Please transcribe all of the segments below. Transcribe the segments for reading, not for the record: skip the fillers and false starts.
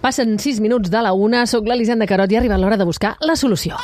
Passen 6 minuts de la 1, soc l'Elisenda Carot i ha arribat l'hora de buscar la solució.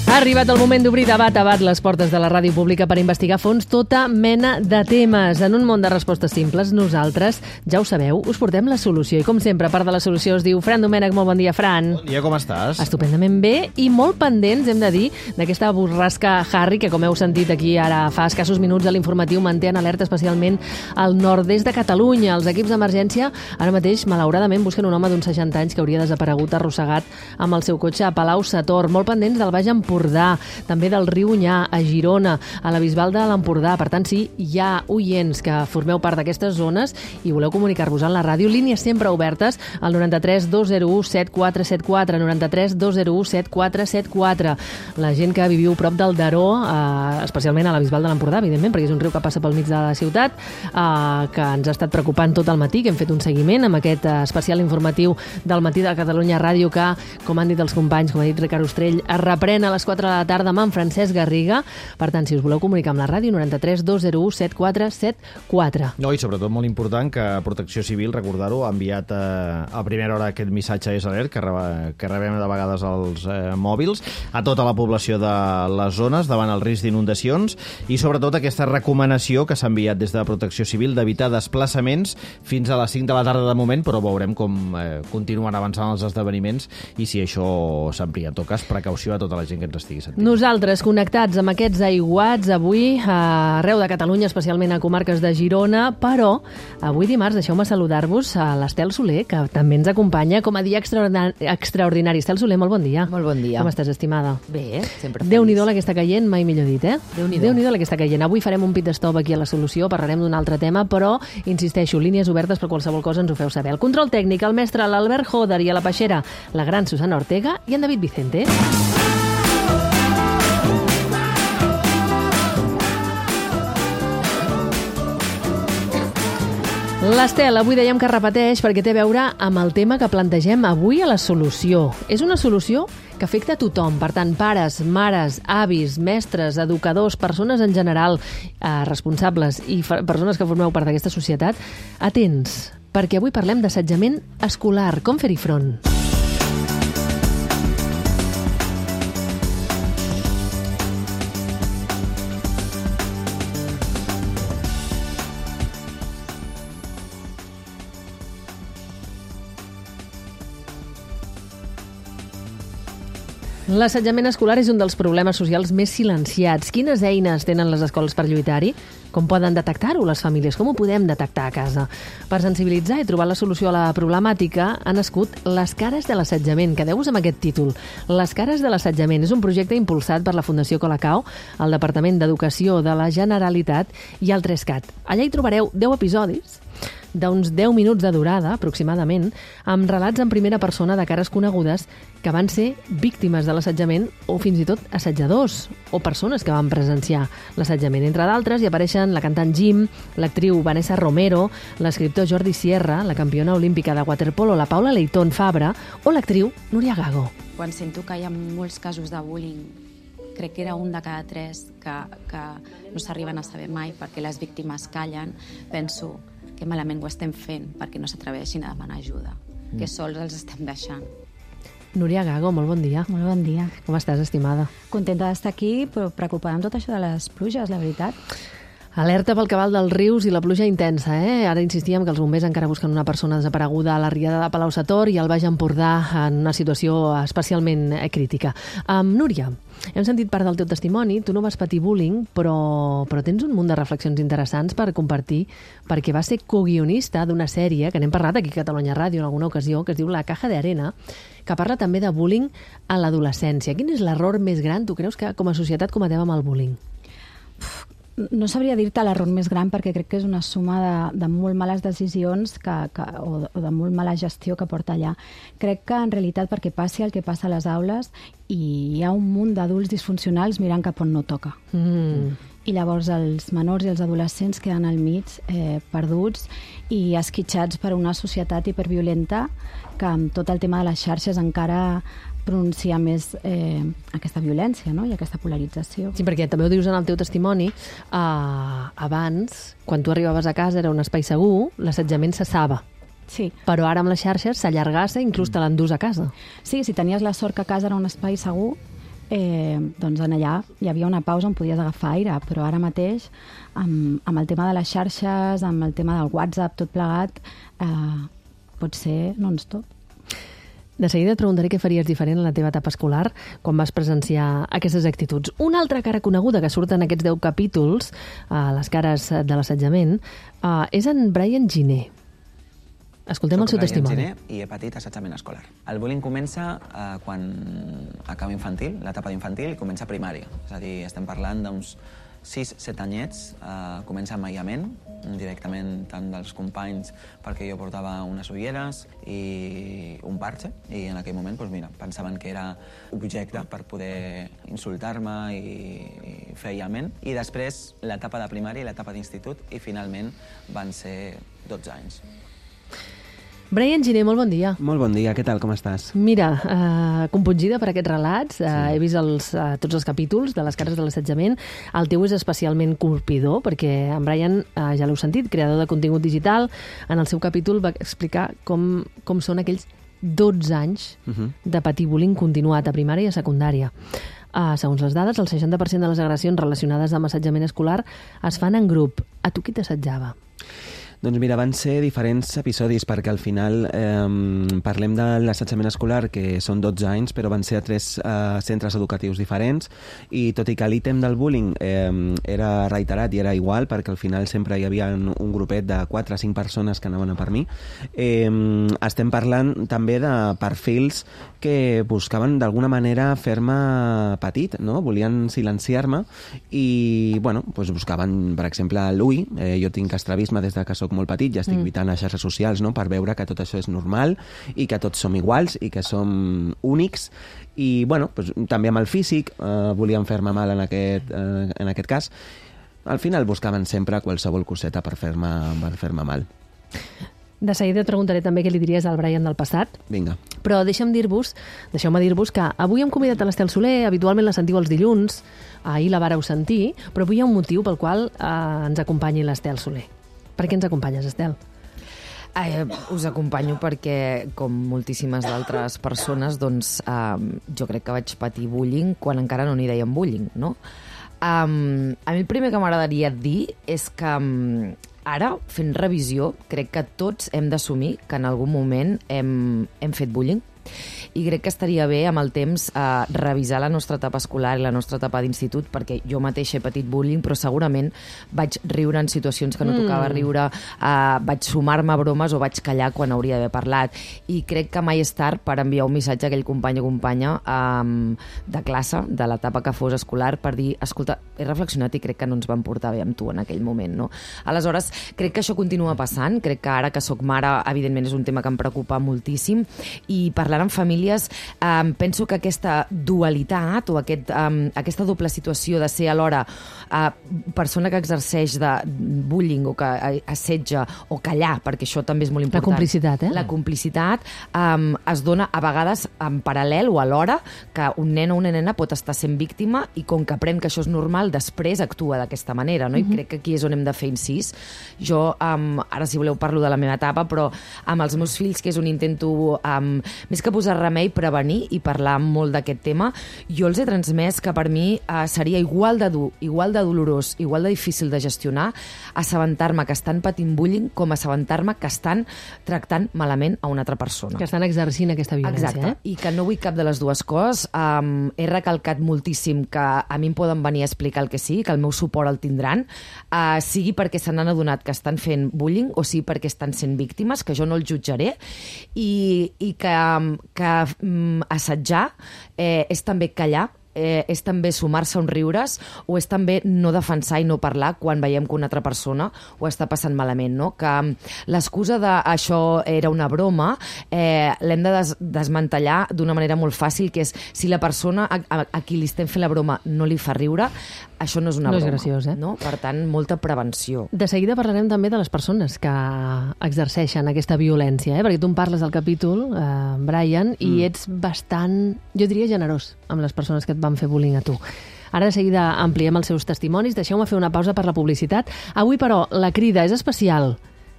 Ha arribat el moment d'obrir debat a bat les portes de la ràdio pública per investigar a fons tota mena de temes. En un món de respostes simples, nosaltres, ja ho sabeu, us portem la solució. I com sempre, a part de la solució, es diu Fran Domènech. Molt bon dia, Fran. Bon dia, com estàs? Estupendament bé i molt pendents, hem de dir, d'aquesta borrasca Harry, que com heu sentit aquí ara fa escassos minuts a l'informatiu manté en alerta especialment al nord-est de Catalunya. Els equips d'emergència ara mateix, malauradament, busquen un home d'uns 60 anys que hauria desaparegut arrossegat amb el seu cotxe a Palau-sator. Molt pendents del Baix Empordà, també del riu Onyar, a Girona, a la Bisbal de l'Empordà. Per tant, si hi ha oients que formeu part d'aquestes zones i voleu comunicar-vos en la ràdio, línies sempre obertes al 93 201 7474, 93 201 7474. La gent que viviu prop del Daró, especialment a la Bisbal de l'Empordà, evidentment, perquè és un riu que passa pel mig de la ciutat, que ens ha estat preocupant tot el matí, que hem fet un seguiment amb aquest especial informatiu del matí de Catalunya Ràdio que, com han dit els companys, com ha dit Ricard Ostrell, es reprèn a les 4 de la tarda amb en Francesc Garriga. Per tant, si us voleu comunicar amb la ràdio, 93 201 7474. No, i sobretot molt important que Protecció Civil, recordar-ho, ha enviat a primera hora aquest missatge SOS que rebem de vegades als mòbils a tota la població de les zones davant el risc d'inundacions i sobretot aquesta recomanació que s'ha enviat des de Protecció Civil d'evitar desplaçaments fins a les 5 de la tarda de moment, però veurem com continuen avançant els esdeveniments i si això s'amplia. En tot cas, precaució a tota la gent que ens estigui sentint. Nosaltres, connectats amb aquests aiguats avui arreu de Catalunya, especialment a comarques de Girona, però avui dimarts deixeu-me saludar-vos a l'Estel Soler, que també ens acompanya com a dia extraordinari. Estel Soler, molt bon dia. Molt bon dia. Com estàs, estimada? Bé, sempre feliç. Déu-n'hi-do la que està caient, mai millor dit, eh? Déu-n'hi-do la que està caient. Avui farem un pit stop aquí a la solució, parlarem d'un altre tema, però, insisteixo, línies obertes per qualsevol cosa ens ho feu saber. El control tècnic, el mestre l'Albert Joder i a la peixera, la gran Susana Ortega i en David Vicente. L'Estel, avui dèiem que repeteix perquè té a veure amb el tema que plantegem avui a la solució. És una solució que afecta a tothom, per tant, pares, mares, avis, mestres, educadors, persones en general, responsables i persones que formeu part d'aquesta societat, atents, perquè avui parlem d'assetjament escolar, com fer-hi front. L'assetjament escolar és un dels problemes socials més silenciats. Quines eines tenen les escoles per lluitar-hi? Com poden detectar-ho les famílies? Com ho podem detectar a casa? Per sensibilitzar i trobar la solució a la problemàtica ha nascut Les cares de l'assetjament. Quedeu-vos amb aquest títol. Les cares de l'assetjament és un projecte impulsat per la Fundació Colacao, el Departament d'Educació de la Generalitat i el 3CAT. Allà hi trobareu 10 episodis d'uns 10 minuts de durada, aproximadament, amb relats en primera persona de cares conegudes que van ser víctimes de l'assetjament o fins i tot assetjadors o persones que van presenciar l'assetjament. Entre d'altres hi apareixen la cantant Jim, l'actriu Vanessa Romero, l'escriptor Jordi Sierra, la campiona olímpica de waterpolo, la Paula Leitón Fabra o l'actriu Núria Gago. Quan sento que hi ha molts casos de bullying, crec que era un de cada 3 que no s'arriben a saber mai perquè les víctimes callen, penso que malament ho estem fent perquè no s'atreveixin a demanar ajuda, que sols els estem deixant. Núria Gago, molt bon dia. Molt bon dia. Com estàs, estimada? Contenta d'estar aquí, però preocupada amb tot això de les pluges, la veritat. Alerta pel cabal dels rius i la pluja intensa, eh? Ara insistíem que els bombers encara busquen una persona desapareguda a la riada de Palau-sator i al Baix Empordà en una situació especialment crítica. Núria, hem sentit part del teu testimoni, tu no vas patir bullying, però tens un munt de reflexions interessants per compartir, perquè vas ser coguionista d'una sèrie, que n'hem parlat aquí a Catalunya Ràdio en alguna ocasió, que es diu La caja de arena, que parla també de bullying a l'adolescència. Quin és l'error més gran, tu creus, que com a societat cometem amb el bullying? No sabria dir-te l'error més gran perquè crec que és una suma de molt males decisions o de molt mala gestió que porta allà. Crec que en realitat perquè passi el que passa a les aules i hi ha un munt d'adults disfuncionals mirant cap on no toca. i llavors els menors i els adolescents queden al mig, perduts i esquitxats per una societat hiperviolenta que amb tot el tema de les xarxes encara pronuncia més aquesta violència, no? I aquesta polarització. Sí, perquè també ho dius en el teu testimoni, abans, quan tu arribaves a casa era un espai segur, l'assetjament cessava. Sí. Però ara amb les xarxes s'allargassa i inclús te l'endús a casa. Sí, si tenies la sort que a casa era un espai segur, doncs en allà hi havia una pausa on podies agafar aire, però ara mateix, amb el tema de les xarxes, amb el tema del WhatsApp, tot plegat, pot ser non-stop. De seguida et preguntaré què faries diferent en la teva etapa escolar quan vas presenciar aquestes actituds. Una altra cara coneguda que surt en aquests 10 capítols, les cares de l'assetjament, és en Brian Giner. Escoltem el seu testimoni. Soc Brian Giner i he patit assetjament escolar. El bullying comença quan acaba infantil, l'etapa d'infantil, i comença a primària. És a dir, estem parlant d'uns 6-7 anyets, comença amb aïllament, directament tant dels companys, perquè jo portava unes ulleres i un parxe, i en aquell moment pensaven que era objecte per poder insultar-me i fer aïllament. I després l'etapa de primària i l'etapa d'institut, i finalment van ser 12 anys. Brian Giner, molt bon dia. Molt bon dia, què tal, com estàs? Mira, compungida per aquests relats, sí. He vist tots els capítols de les cares de l'assetjament. El teu és especialment colpidor, perquè en Brian, ja l'heu sentit, creador de contingut digital, en el seu capítol va explicar com són aquells 12 anys de patir bullying continuat a primària i a secundària. Segons les dades, el 60% de les agressions relacionades amb assetjament escolar es fan en grup. A tu qui t'assetjava? Doncs mira, van ser diferents episodis, perquè al final parlem de l'assetjament escolar, que són 12 anys, però van ser a 3 centres educatius diferents, i tot i que l'ítem del bullying era reiterat i era igual, perquè al final sempre hi havia un grupet de 4 o 5 persones que anaven a per mi, estem parlant també de perfils que buscaven d'alguna manera fer-me petit, no? Volien silenciar-me i, bueno, doncs buscaven, per exemple, l'UI. Jo tinc estrabisme des que soc molt petit, ja estic lluitant a xarxes socials, no?, per veure que tot això és normal i que tots som iguals i que som únics. I, bueno, doncs, també amb el físic volien fer-me mal en aquest cas. Al final buscaven sempre qualsevol coseta per fer-me mal. De seguida et preguntaré també què li diries al Brian del passat. Vinga. Però deixeu-me dir-vos que avui hem convidat a l'Estel Soler, habitualment la sentiu els dilluns, ahir la vàreu sentir, però avui hi ha un motiu pel qual ens acompanyi l'Estel Soler. Per què ens acompanyes, Estel? Us acompanyo perquè, com moltíssimes d'altres persones, doncs, jo crec que vaig patir bullying quan encara no n'hi deien bullying, no? A mi el primer que m'agradaria dir és que ara, fent revisió, crec que tots hem d'assumir que en algun moment hem fet bullying. I crec que estaria bé amb el temps revisar la nostra etapa escolar i la nostra etapa d'institut, perquè jo mateixa he patit bullying, però segurament vaig riure en situacions que no tocava riure, vaig sumar-me a bromes o vaig callar quan hauria d'haver parlat. I crec que mai és tard per enviar un missatge a aquell company o companya de classe, de l'etapa que fos escolar, per dir, escolta, he reflexionat i crec que no ens vam portar bé amb tu en aquell moment, no? Aleshores, crec que això continua passant. Crec que ara que soc mare, evidentment és un tema que em preocupa moltíssim, i parlant amb famílies, penso que aquesta dualitat o aquesta doble situació de ser alhora persona que exerceix de bullying o que assetja o callar, perquè això també és molt important. La complicitat, La complicitat es dona a vegades en paral·lel o alhora, que un nen o una nena pot estar sent víctima i com que aprèn que això és normal, després actua d'aquesta manera, no? I crec que aquí és on hem de fer incís. Jo, ara si voleu parlo de la meva etapa, però amb els meus fills, que és on intento més que posar remei, prevenir i parlar molt d'aquest tema, jo els he transmès que per mi seria igual de dur, igual de dolorós, igual de difícil de gestionar assabentar-me que estan patint bullying com assabentar-me que estan tractant malament a una altra persona. Que estan exercint aquesta violència. Exacte, i que no vull cap de les dues coses. He recalcat moltíssim que a mi em poden venir a explicar el que sigui, que el meu suport el tindran, sigui perquè se n'han adonat que estan fent bullying o sigui perquè estan sent víctimes, que jo no els jutjaré, i que assetjar és també callar, és també sumar-se a uns riures o és també no defensar i no parlar quan veiem que una altra persona ho està passant malament, no? Que l'excusa de això era una broma l'hem de desmantellar d'una manera molt fàcil, que és si la persona a qui li estem fent la broma no li fa riure, això no és una broma. No és graciós, no? Per tant, molta prevenció. De seguida parlarem també de les persones que exerceixen aquesta violència, perquè tu em parles del capítol, Brian, i ets bastant, jo diria, generós amb les persones que et van fer bullying a tu. Ara de seguida ampliem els seus testimonis. Deixeu-me fer una pausa per la publicitat. Avui, però, la crida és especial.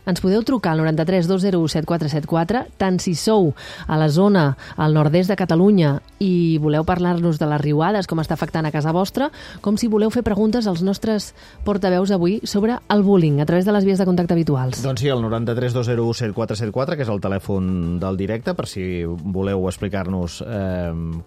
Ens podeu trucar al 93 201 7474, tant si sou a la zona, al nord-est de Catalunya, i voleu parlar-nos de les riuades, com està afectant a casa vostra, com si voleu fer preguntes als nostres portaveus avui sobre el bullying, a través de les vies de contacte habituals. Doncs sí, el 93 201 7474, que és el telèfon del directe, per si voleu explicar-nos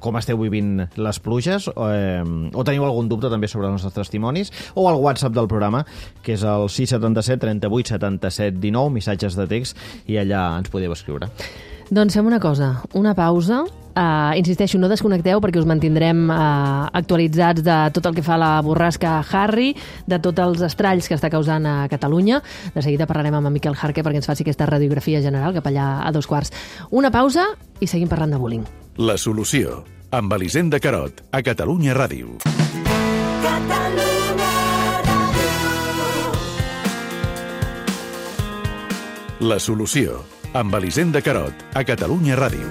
com esteu vivint les pluges, o teniu algun dubte també sobre els nostres testimonis, o el WhatsApp del programa, que és el 677 38 77 19, missatges de text, i allà ens podeu escriure. Doncs fem una cosa, una pausa. Insisteixo, no desconnecteu perquè us mantindrem actualitzats de tot el que fa la borrasca Harry, de tots els estralls que està causant a Catalunya. De seguida parlarem amb en Miquel Jarque perquè ens faci aquesta radiografia general cap allà a 2:15. Una pausa i seguim parlant de bullying. La solució, amb Elisenda Carot, a Catalunya Ràdio. La solució, amb Elisenda Carot, a Catalunya Ràdio.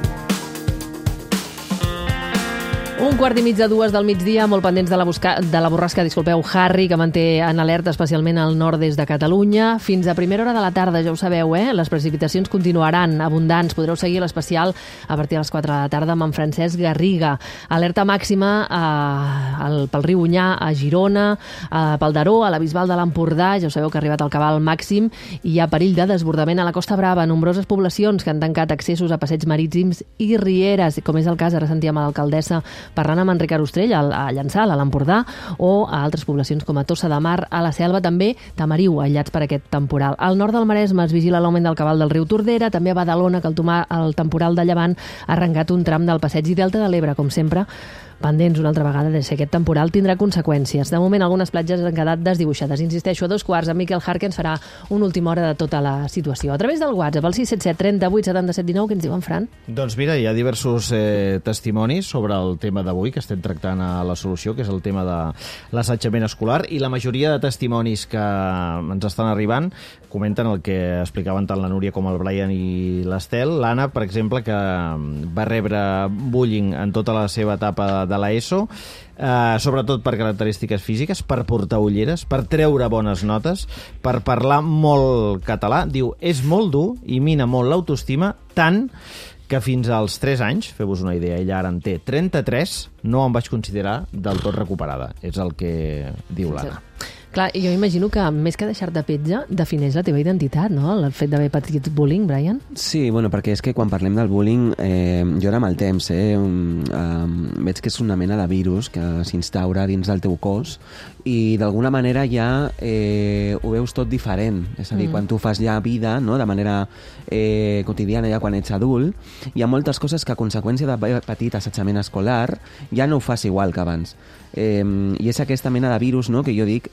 1:15 del migdia, molt pendents de la borrasca, Harry, que manté en alerta especialment al nord-est de Catalunya. Fins a primera hora de la tarda, ja ho sabeu, les precipitacions continuaran abundants. Podreu seguir l'especial a partir de les 4 de la tarda amb en Francesc Garriga. Alerta màxima pel riu Onyar, a Girona, pel Daró, a la Bisbal de l'Empordà. Ja ho sabeu que ha arribat al cabal màxim i hi ha perill de desbordament a la Costa Brava. Nombroses poblacions que han tancat accessos a passeigs marítims i rieres, com és el cas, ara sentíem a l'alcaldessa parlant amb Enric Arostrell, a Llançà, a l'Empordà, o a altres poblacions com a Tossa de Mar, a la Selva, també Tamariu, aïllats per aquest temporal. Al nord del Maresme es vigila l'augment del cabal del riu Tordera, també a Badalona, que el temporal de llevant ha arrencat un tram del passeig i Delta de l'Ebre, com sempre, pendents una altra vegada de si aquest temporal tindrà conseqüències. De moment, algunes platges han quedat desdibuixades. Insisteixo, a 2:15, en Miquel Jarque ens farà una última hora de tota la situació. A través del WhatsApp, el 677 38 77 19, què ens diuen, Fran? Doncs mira, hi ha diversos testimonis sobre el tema d'avui que estem tractant a la solució, que és el tema de l'assetjament escolar, i la majoria de testimonis que ens estan arribant comenten el que explicaven tant la Núria com el Brian i l'Estel. L'Anna, per exemple, que va rebre bullying en tota la seva etapa de l'ESO, sobretot per característiques físiques, per portar ulleres, per treure bones notes, per parlar molt català. Diu, és molt dur i mina molt l'autoestima, tant que fins als 3 anys, feu-vos una idea, ella ara en té 33, no em vaig considerar del tot recuperada. És el que diu l'Anna. Clar, jo imagino que més que deixar-te petja, defineix la teva identitat, no? El fet d'haver patit bullying, Brian? Sí, bueno, perquè és que quan parlem del bullying, jo ara amb el temps veig que és una mena de virus que s'instaura dins del teu cos i d'alguna manera ja ho veus tot diferent. És a dir, quan tu fas ja vida, no?, de manera quotidiana, ja quan ets adult, hi ha moltes coses que a conseqüència d'haver patit assetjament escolar ja no ho fas igual que abans. I és aquesta mena de virus, no?, que jo dic,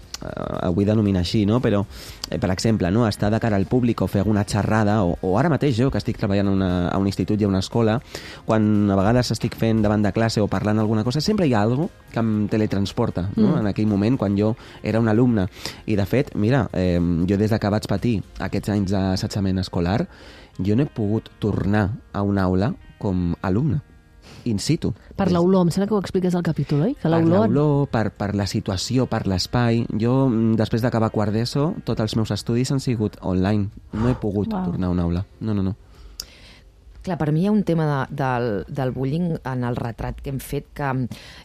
vull denominar així, no?, però, per exemple, no?, estar de cara al públic o fer alguna xerrada, o ara mateix jo, que estic treballant a un institut i a una escola, quan a vegades estic fent davant de classe o parlant alguna cosa, sempre hi ha alguna cosa que em teletransporta, no?, en aquell moment, quan jo era un alumne. I, de fet, mira, jo des que vaig patir aquests anys d'assetjament escolar, jo no he pogut tornar a una aula com a alumne, in situ. Per l'olor, em sembla que ho expliques al capítol, oi? Que per l'olor, per la situació, per l'espai. Jo, després d'acabar quart d'ESO, tots els meus estudis han sigut online. No he pogut tornar a una aula. No. Clar, per mi hi ha un tema del bullying en el retrat que hem fet que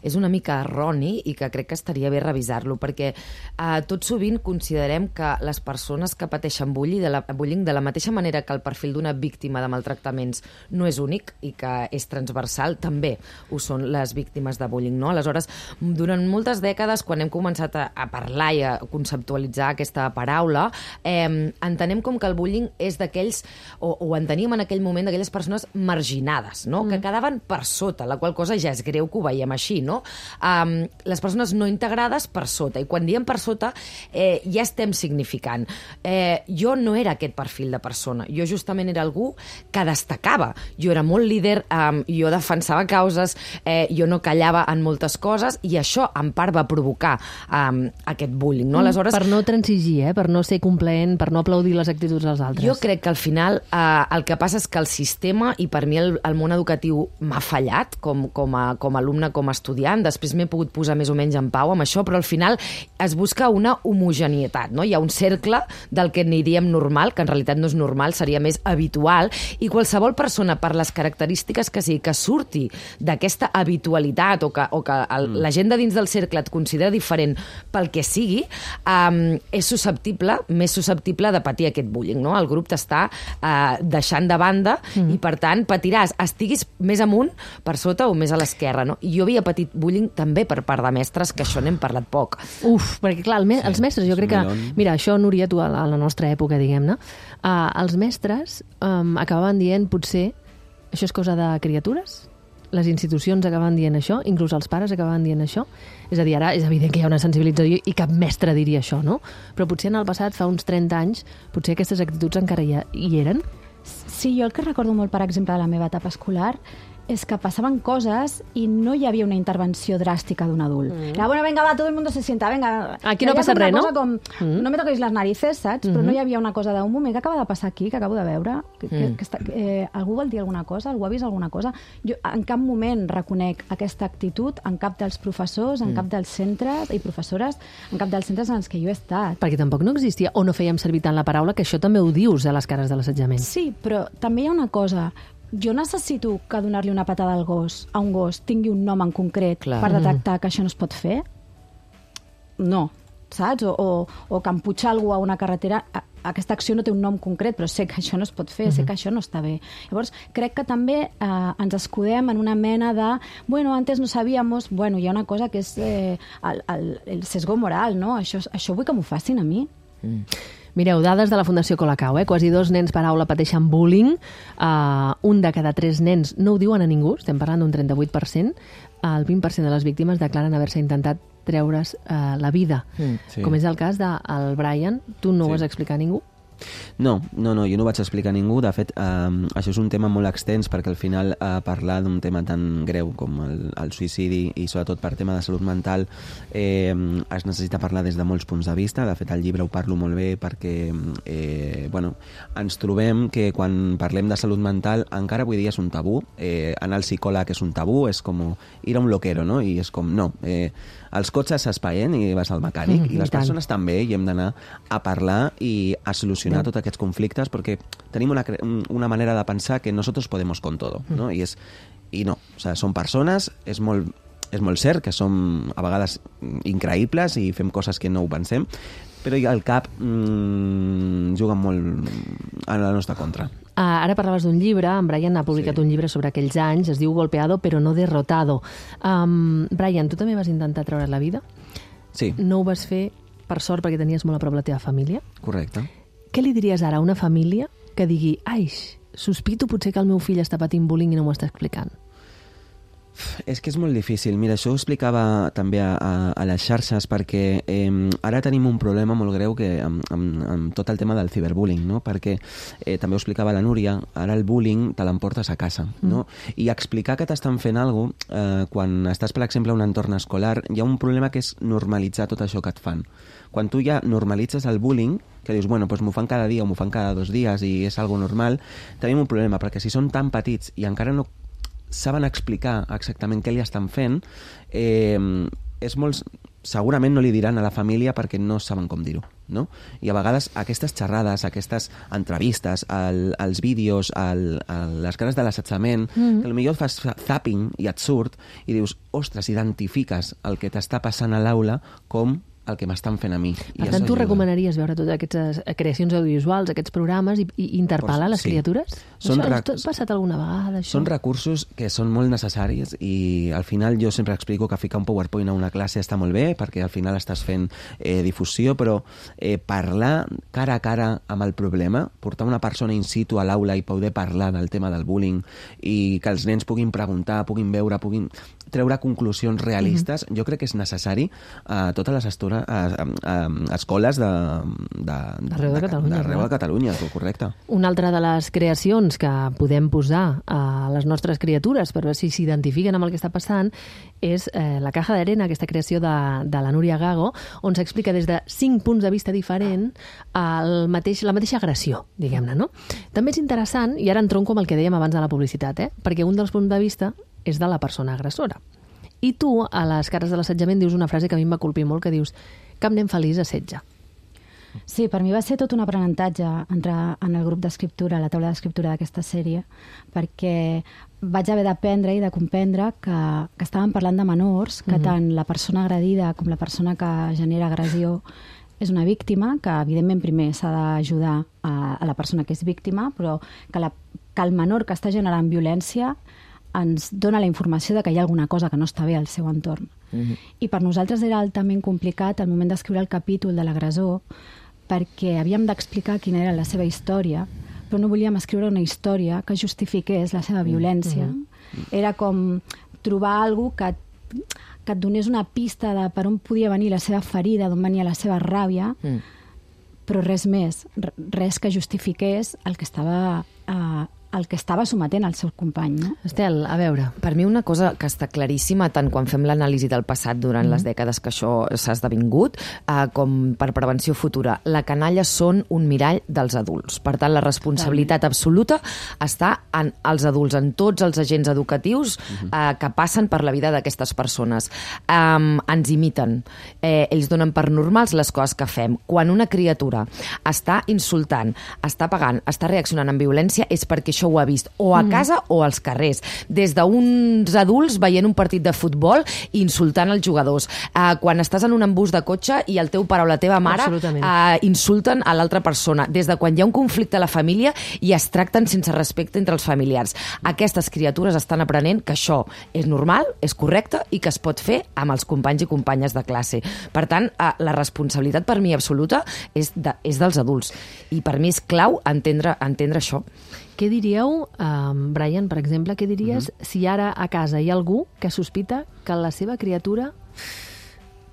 és una mica erroni i que crec que estaria bé revisar-lo, perquè tot sovint considerem que les persones que pateixen bullying de la mateixa manera que el perfil d'una víctima de maltractaments no és únic i que és transversal, també ho són les víctimes de bullying, no? Aleshores, durant moltes dècades, quan hem començat a parlar i a conceptualitzar aquesta paraula, entenem com que el bullying és d'aquells, o enteníem en aquell moment d'aquelles persones persones marginades, no? Que quedaven per sota, la qual cosa ja és greu que ho veiem així, no? Les persones no integrades per sota, i quan diem per sota ja estem significant. Jo no era aquest perfil de persona, jo justament era algú que destacava, jo era molt líder, jo defensava causes, jo no callava en moltes coses, i això en part va provocar aquest bullying, no? Aleshores, per no transigir, per no ser complaent, per no aplaudir les actituds dels altres. Jo crec que al final el que passa és que el sistema, i per mi el món educatiu m'ha fallat com a alumne, com a estudiant, després m'he pogut posar més o menys en pau amb això, però al final es busca una homogeneïtat, no? Hi ha un cercle del que n'hi diem normal, que en realitat no és normal, seria més habitual, i qualsevol persona, per les característiques que sigui, que surti d'aquesta habitualitat o que la gent de dins del cercle et considera diferent pel que sigui, és susceptible, més susceptible de patir aquest bullying, no? El grup t'està deixant de banda i, per tant, patiràs, estiguis més amunt, per sota o més a l'esquerra, no? I jo havia patit bullying també per part de mestres, que això n'hem parlat poc. Perquè clar, els mestres, jo crec que... Mira, això, Núria, tu a la nostra època, diguem-ne, els mestres acabaven dient, potser, això és cosa de criatures? Les institucions acaben dient això, inclús els pares acaben dient això. És a dir, ara és evident que hi ha una sensibilització i cap mestre diria això, no? Però potser en el passat, fa uns 30 anys, potser aquestes actituds encara hi eren. Sí, jo el que recordo molt, per exemple, de la meva etapa escolar és que passaven coses i no hi havia una intervenció dràstica d'un adult. Era, bueno, venga, va, todo el mundo se sienta, venga. Aquí no passa res, no? Com, no me toquis les narices, saps? Però no hi havia una cosa d'un moment, què acaba de passar aquí, que acabo de veure? Algú vol dir alguna cosa? Algú ha vist alguna cosa? Jo en cap moment reconec aquesta actitud en cap dels professors, en cap dels centres i professores, en cap dels centres en els que jo he estat. Perquè tampoc no existia, o no fèiem servir tant la paraula, que això també ho dius a les cares de l'assetjament. Sí, però també hi ha una cosa. Jo necessito que donar-li una patada al gos, a un gos, tingui un nom en concret per detectar que això no es pot fer? No, saps? O que emputxar algú a una carretera, aquesta acció no té un nom concret, però sé que això no es pot fer, sé que això no està bé. Llavors, crec que també ens escudem en una mena de, bueno, antes no sabíamos, bueno, hi ha una cosa que és el sesgo moral, no? Això vull que m'ho facin a mi. Mireu, dades de la Fundació Colacao, quasi 2 nens per aula pateixen bullying, un de cada 3 nens no ho diuen a ningú, estem parlant d'un 38%, el 20% de les víctimes declaren haver-se intentat treure's la vida, com és el cas del Brian. Tu no ho vas explicar a ningú? No, jo no ho vaig explicar a ningú. De fet, això és un tema molt extens perquè al final parlar d'un tema tan greu com el suïcidi i sobretot per tema de salut mental es necessita parlar des de molts punts de vista. De fet, al llibre ho parlo molt bé perquè ens trobem que quan parlem de salut mental encara avui dia és un tabú. Anar al psicòleg és un tabú, és com ir a un loquero, no? I és com, no, els cotxes s'espaien i vas al mecànic i les persones també, i hem d'anar a parlar i a solucionar tots aquests conflictes perquè tenim una manera de pensar que nosotros podemos con todo, ¿no? I no, o sea, són persones, és molt cert que som a vegades increïbles i fem coses que no ho pensem, però al cap juguen molt a la nostra contra. Ara parlaves d'un llibre, en Brian ha publicat un llibre sobre aquells anys, es diu Golpeado però no derrotado. Brian, tu també vas intentar treure la vida? Sí. No ho vas fer, per sort, perquè tenies molt a prop la teva família? Correcte. Què li diries ara a una família que digui, sospito potser que el meu fill està patint bullying i no m'ho està explicant? És que és molt difícil. Mira, això ho explicava també a les xarxes perquè ara tenim un problema molt greu amb tot el tema del ciberbullying, no? Perquè també ho explicava la Núria, ara el bullying te l'emportes a casa, no? I explicar que t'estan fent alguna cosa, quan estàs, per exemple, en un entorn escolar, hi ha un problema que és normalitzar tot això que et fan. Quan tu ja normalitzes el bullying, que dius, bueno, doncs m'ho fan cada dia o m'ho fan cada 2 dies i és algo normal, tenim un problema, perquè si són tan petits i encara no saben explicar exactament què li estan fent, segurament no li diran a la família perquè no saben com dir-ho, no? I a vegades aquestes xerrades, aquestes entrevistes, els vídeos, les cares de l'assetjament, que potser fas zapping i et surt i dius, ostres, identifiques el que t'està passant a l'aula com el que m'estan fent a mi. Per tant, tu recomanaries veure totes aquestes creacions audiovisuals, aquests programes, i interpel·lar les criatures? Això ha passat alguna vegada, això? Són recursos que són molt necessaris i al final jo sempre explico que ficar un PowerPoint a una classe està molt bé perquè al final estàs fent difusió, però parlar cara a cara amb el problema, portar una persona in situ a l'aula i poder parlar del tema del bullying i que els nens puguin preguntar, puguin veure, puguin treure conclusions realistes, jo crec que és necessari a totes les escoles d'arreu de Catalunya, correcte. Una altra de les creacions que podem posar a les nostres criatures per veure si s'identifiquen amb el que està passant és La caja d'arena, aquesta creació de la Núria Gago, on s'explica des de 5 punts de vista diferent la mateixa agressió, diguem-ne, no? També és interessant, i ara entronco amb el que dèiem abans de la publicitat, perquè un dels punts de vista és de la persona agressora. I tu, a les cares de l'assetjament, dius una frase que a mi em va colpir molt, que dius: cap nen feliç assetja. Sí, per mi va ser tot un aprenentatge entrar en el grup d'escriptura, a la taula d'escriptura d'aquesta sèrie, perquè vaig haver d'aprendre i de comprendre que estàvem parlant de menors, que tant la persona agredida com la persona que genera agressió és una víctima, que evidentment primer s'ha d'ajudar a la persona que és víctima, però que el menor que està generant violència ens dona la informació de que hi ha alguna cosa que no està bé al seu entorn. I per nosaltres era altament complicat al moment d'escriure el capítol de l'agressor, perquè havíem d'explicar quina era la seva història, però no volíem escriure una història que justifiqués la seva violència. Era com trobar alguna cosa que et donés una pista de per on podia venir la seva ferida, d'on venia la seva ràbia, però res més, res que justifiqués el que estava sometent al seu company. No? Estel, a veure. Per mi una cosa que està claríssima, tant quan fem l'anàlisi del passat durant les dècades que això s'ha esdevingut, com per prevenció futura. La canalla són un mirall dels adults. Per tant, la responsabilitat absoluta està en els adults, en tots els agents educatius que passen per la vida d'aquestes persones. Ens imiten. Ells donen per normals les coses que fem. Quan una criatura està insultant, està pagant, està reaccionant amb violència, és perquè això ho ha vist o a casa o als carrers. Des d'uns adults veient un partit de futbol i insultant els jugadors. Quan estàs en un embús de cotxe i el teu pare o la teva mare insulten a l'altra persona. Des de quan hi ha un conflicte a la família i es tracten sense respecte entre els familiars. Aquestes criatures estan aprenent que això és normal, és correcte i que es pot fer amb els companys i companyes de classe. Per tant, la responsabilitat per mi absoluta és dels adults. I per mi és clau entendre això. Què diríeu, Brian, per exemple, què diries si ara a casa hi ha algú que sospita que la seva criatura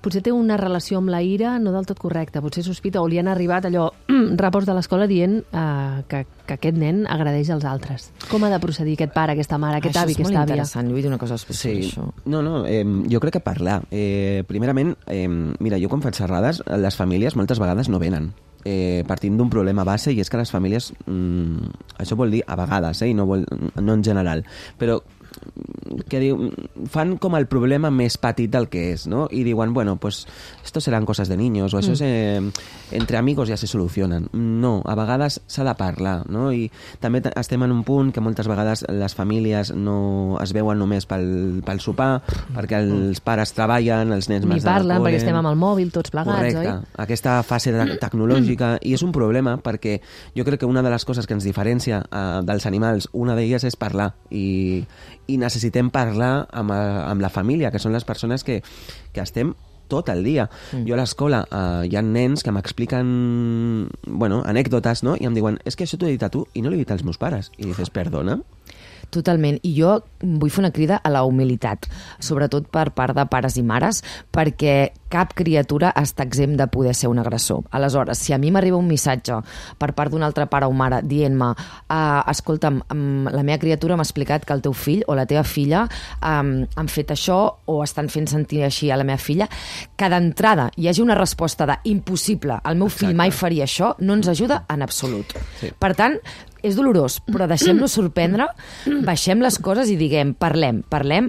potser té una relació amb la ira no del tot correcta, potser sospita o li han arribat allò reports de l'escola dient que aquest nen agredeix els altres. Com ha de procedir aquest pare, aquesta mare, aquest avi, aquesta àvia? Això és molt interessant, jo vull dir una cosa especial això. No, jo crec que parlar. Primerament, mira, jo quan faig xerrades, les famílies moltes vegades no venen. Partint d'un problema base, i és que les famílies, això vol dir a vegades, i no en general, però que fan com el problema més petit del que és, no? I diuen, bueno, pues esto serán cosas de niños, o això és entre amigos ja se solucionen. No, a vegades s'ha de parlar, no? I també estem en un punt que moltes vegades les famílies no es veuen només pel sopar, perquè els pares treballen, els nens més ni parlen, perquè estem amb el mòbil tots plegats, correcte, oi? Aquesta fase tecnològica, i és un problema perquè jo crec que una de les coses que ens diferencia dels animals, una d'elles és parlar, i necessitem parlar amb la família, que són les persones que estem tot el dia. Jo a l'escola hi ha nens que m'expliquen anècdotes, no? I em diuen, és que això t'ho he dit a tu i no l'he dit als meus pares. I dices, perdona? Totalment. I jo vull fer una crida a la humilitat, sobretot per part de pares i mares, perquè cap criatura està exempt de poder ser un agressor. Aleshores, si a mi m'arriba un missatge per part d'un altre pare o mare dient-me escolta'm, la meva criatura m'ha explicat que el teu fill o la teva filla han fet això o estan fent sentir així a la meva filla, que d'entrada hi hagi una resposta de impossible, el meu fill mai faria això, no ens ajuda en absolut. Sí. Per tant, és dolorós, però deixem-nos sorprendre, baixem les coses i diguem, parlem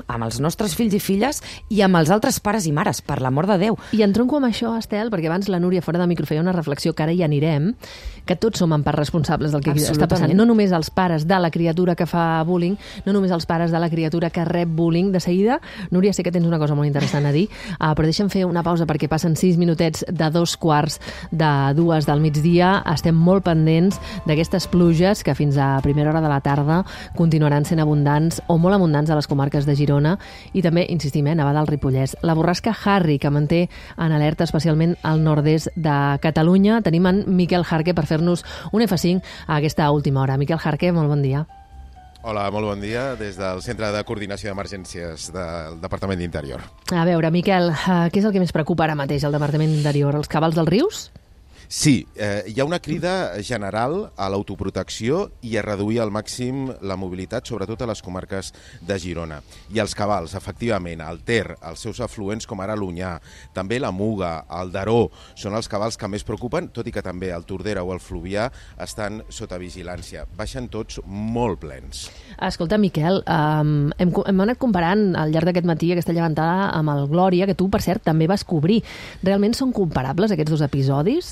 amb els nostres fills i filles i amb els altres pares i mares, per l'amor de Déu. I entronco amb això, Estel, perquè abans la Núria fora de micro feia una reflexió que ara hi anirem, que tots som en part responsables del que està passant. No només els pares de la criatura que fa bullying, no només els pares de la criatura que rep bullying. De seguida, Núria, sé que tens una cosa molt interessant a dir, però deixa'm fer una pausa perquè passen 6 minutets de 2:45 del migdia. Estem molt pendents d'aquestes pluges que fins a primera hora de la tarda continuaran sent abundants o molt abundants a les comarques de Girona i també, insistim, Navada al Ripollès. La borrasca Harry, que manté en alerta especialment al nord-est de Catalunya. Tenim en Miquel Jarque per fer-nos un F5 a aquesta última hora. Miquel Jarque, molt bon dia. Hola, molt bon dia des del Centre de Coordinació d'Emergències del Departament d'Interior. A veure, Miquel, què és el que més preocupa ara mateix al Departament d'Interior? Els cabals dels rius? Sí, hi ha una crida general a l'autoprotecció i a reduir al màxim la mobilitat, sobretot a les comarques de Girona. I els cabals, efectivament, el Ter, els seus afluents com ara l'Onyar, també la Muga, el Daró, són els cabals que més preocupen, tot i que també el Tordera o el Fluvià estan sota vigilància. Baixen tots molt plens. Escolta, Miquel, hem anat comparant al llarg d'aquest matí aquesta llevantada amb el Glòria, que tu, per cert, també vas cobrir. Realment són comparables aquests dos episodis?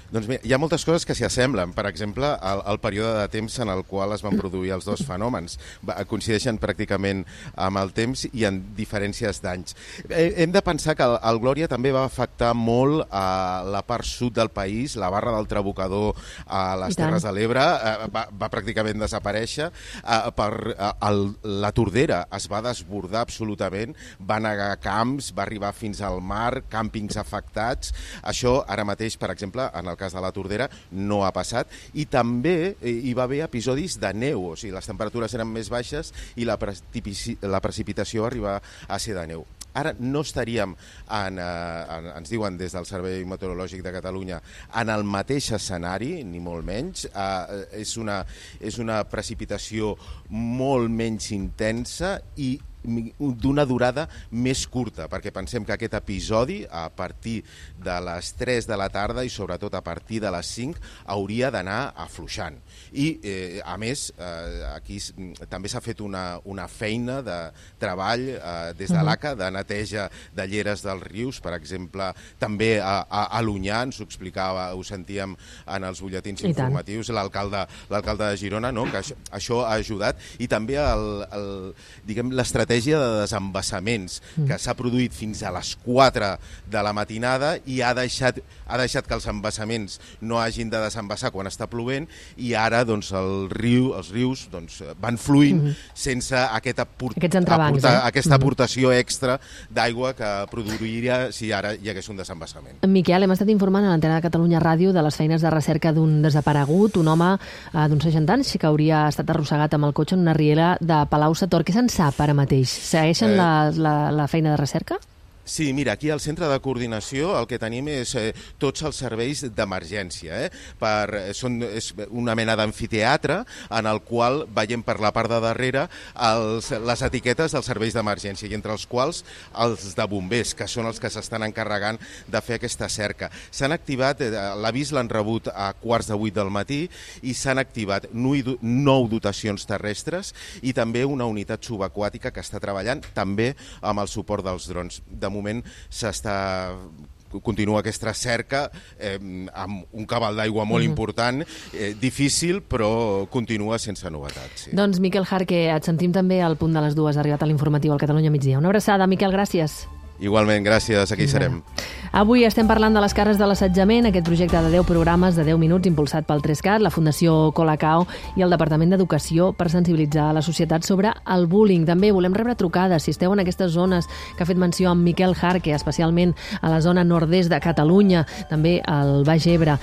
Doncs bé, hi ha moltes coses que s'hi assemblen. Per exemple, el període de temps en el qual es van produir els dos fenòmens. Coincideixen pràcticament amb el temps i en diferències d'anys. Hem de pensar que el Glòria també va afectar molt a la part sud del país, la Barra del Trabucador a les Terres de l'Ebre va pràcticament desaparèixer. La Tordera es va desbordar absolutament, va negar camps, va arribar fins al mar, càmpings afectats. Això ara mateix, per exemple, en el cas de la Tordera, no ha passat. I també hi va haver episodis de neu, o sigui, les temperatures eren més baixes i la precipitació va arribar a ser de neu. Ara no estaríem, ens diuen des del Servei Meteorològic de Catalunya, en el mateix escenari, ni molt menys. És una precipitació molt menys intensa i d'una durada més curta, perquè pensem que aquest episodi, a partir de les 3 de la tarda i sobretot a partir de les 5, hauria d'anar afluixant. I, a més, aquí també s'ha fet una feina de treball des de l'ACA, de neteja de lleres dels rius, per exemple, també a l'Onyar, ens ho explicava, ho sentíem en els butlletins informatius, l'alcalde de Girona, no? Que això ha ajudat, i també l'estratègia de desembassaments que s'ha produït fins a les 4 de la matinada i ha deixat que els embassaments no hagin de desembassar quan està plovent, i ara doncs, els rius van fluint sense aquesta aportació extra d'aigua que produiria si ara hi hagués un desembassament. Miquel, hem estat informant a l'antena de Catalunya Ràdio de les feines de recerca d'un desaparegut, un home d'uns 60 anys que hauria estat arrossegat amb el cotxe en una riera de Palau-sator. Què se'n sap ara mateix? Segueixen la feina de recerca? Sí, mira, aquí al centre de coordinació el que tenim és tots els serveis d'emergència. És una mena d'amfiteatre en el qual veiem per la part de darrere les etiquetes dels serveis d'emergència, i entre els quals els de bombers, que són els que s'estan encarregant de fer aquesta cerca. S'han activat, l'avís l'han rebut a 7:15 del matí, i s'han activat 9 dotacions terrestres i també una unitat subaquàtica que està treballant també amb el suport dels drons. De moment continua aquesta cerca amb un cabal d'aigua molt important, difícil, però continua sense novetats. Sí. Doncs Miquel Jarque, et sentim també al punt de les 2, ha arribat a l'informatiu al Catalunya Migdia. Una abraçada, Miquel, gràcies. Igualment, gràcies, aquí serem. Avui estem parlant de les cares de l'assetjament, aquest projecte de 10 programes de 10 minuts impulsat pel 3CAT, la Fundació Colacao i el Departament d'Educació per sensibilitzar la societat sobre el bullying. També volem rebre trucades si esteu en aquestes zones que ha fet menció amb Miquel Jarque, especialment a la zona nord-est de Catalunya, també al Baix Ebre,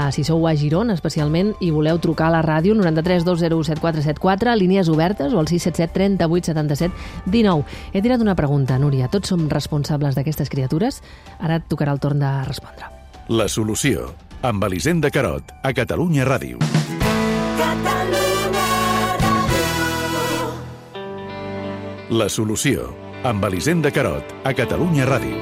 si sou a Girona especialment i voleu trucar a la ràdio 93 201 7474, línies obertes, o al 677 38 77 19. He tirat una pregunta, Núria. Tots som responsables d'aquestes criatures? Ara et tocarà el torn de respondre. La solució, amb Elisenda Carot, a Catalunya Ràdio. La solució, amb Elisenda Carot, a Catalunya Ràdio.